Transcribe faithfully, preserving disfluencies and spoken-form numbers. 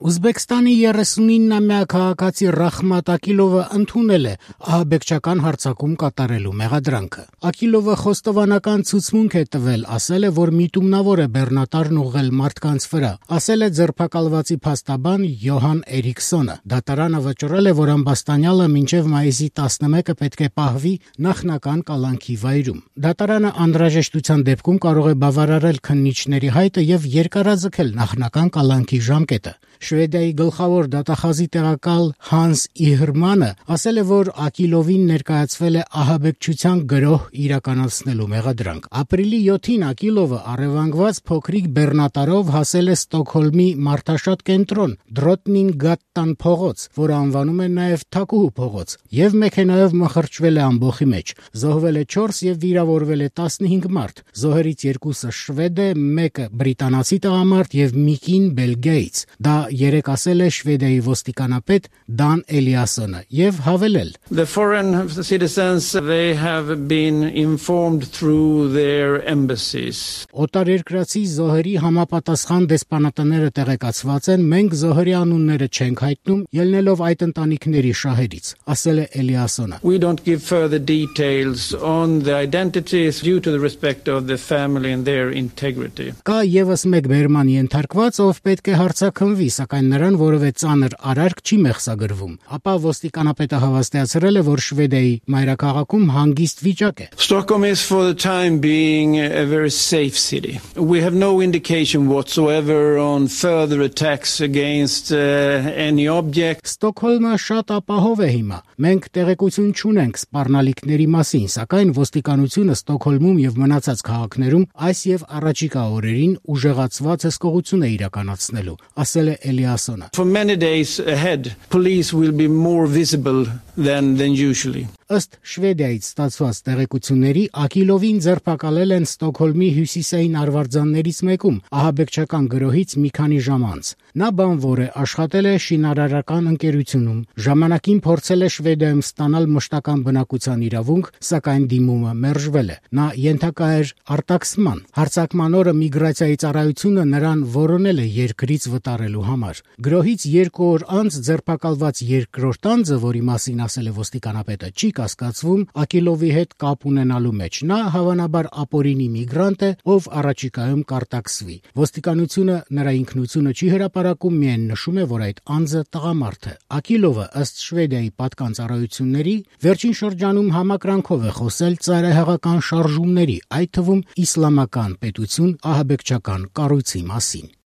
Ուզբեկստանի երեսունինամյա քաղաքացի Ռախմատ Ակիլովը ընդունել է ահաբեկչական հարձակում կատարելու մեղադրանքը։ Ակիլովը խոստովանական ցուցմունք է տվել, ասել է, որ միտումնավոր է բեռնատարն ուղղել մարդկանց վրա, ասել է ձերբակալվածի փաստաբան Յոհան Էրիքսոնը։ Դատարանը վճռել է, որ ամբաստանյալը մինչև մայիսի տասնմեկը պետք է պահվի նախնական կալանքի վայրում։ Դատարանը անհրաժեշտության դեպքում կարող է բավարարել քննիչների հայտը եւ երկարաձգել նախնական կալանքի ժամկետը։ Շվեդիայի գլխավոր դատախազի տեղակալ Հանս Իհրմանը ասել է, որ Ակիլովին ներկայացվել է ահաբեկչության գրոհ իրականացնելու մեղադրանք։ Ապրիլի յոթին Ակիլովը առևանգված փոքրիկ բեռնատարով հասել է Ստոկհոլմի մարդաշատ կենտրոն Դրոտնինգատտան փողոց, որը անվանում են նաև Թակուհու փողոց, եւ մեքենայով մխրճվել է ամբոխի մեջ։ Զոհվել է չորս եւ վիրավորվել է տասնհինգ մարդ։ Զոհերից երկուսը շվեդ է, մեկը բրիտանացի տղամարդ եւ մի կին Բելգիայից։ Դա երեք ասել է Շվեդիայի ոստիկանապետ Դան Էլիասոնը եւ հավելել. The foreign citizens they have been informed through their embassies. Օտարերկրացի զոհերի համապատասխան դեսպանատները տեղեկացված են, մենք զոհերի անունները չենք հայտնում, ելնելով այդ ընտանիքների շահերից, ասել է Էլիասոնը. We don't give further details on the identities due to the respect of the family and their integrity. Կա եւս մեկ բերման ենթարկված, ով պետք է հարցակնվի, սակայն նրան որևէ ծանր արարք չի մեղսագրվում։ Ապա ոստիկանապետը հավաստիացրել է, որ Շվեդիայի մայրաքաղաքում հանգիստ վիճակ է։ Stockholm is for the time being a very safe city. We have no indication whatsoever on further attacks against uh, any object. Ստոկհոլմը շատ ապահով է հիմա։ Մենք տեղեկություն չունենք սպառնալիքների մասին, սակայն ոստիկանությունը Ստոկհոլմում եւ մնացած քաղաքներում այս եւ առաջիկա օրերին ուժեղացված հսկողություն է իրականացնելու, ասել է Էլիասոնը. For many days ahead, police will be more visible than than usually. Ըստ Շվեդիայից ստացված տեղեկությունների Ակիլովին ձերբակալել են Ստոկհոլմի հյուսիսային արվարձաններից մեկում ահաբեկչական գրոհից մի քանի ժամ անց։ Նա բանվոր է, աշխատել է շինարարական ընկերությունում, ժամանակին փորձել է Շվեդիայում ստանալ մշտական բնակության իրավունք, սակայն դիմումը մերժվել է։ Նա ենթակա էր արտաքսման։ Հարձակման օրը միգրացիայի ծառայությունը նրան որոնել է երկրից վտարելու համար։ Գրոհից երկու օր անց ձերբակալված երկրորդ անձը, որի մասին ասել է ոստիկանապետը, չի կասկածվում Ակիլովի հետ կապ ունենալու մեջ։ Նա հավանաբար ապօրինի միգրանտ է, ով առաջիկայում կարտաքսվի։ Ոստիկանությունը նրա ինքնությունը չի հրապարակում, միայն նշում է, որ այդ անձը տղամարդ է։ Ակիլովը ըստ Շվեդիայի պատկան ծառայությունների վերջին շրջանում համակրանքով է խոսել ծայրահեղական շարժումների, այդ թվում իսլամական պետություն ահաբեկչական կառույցի մասին։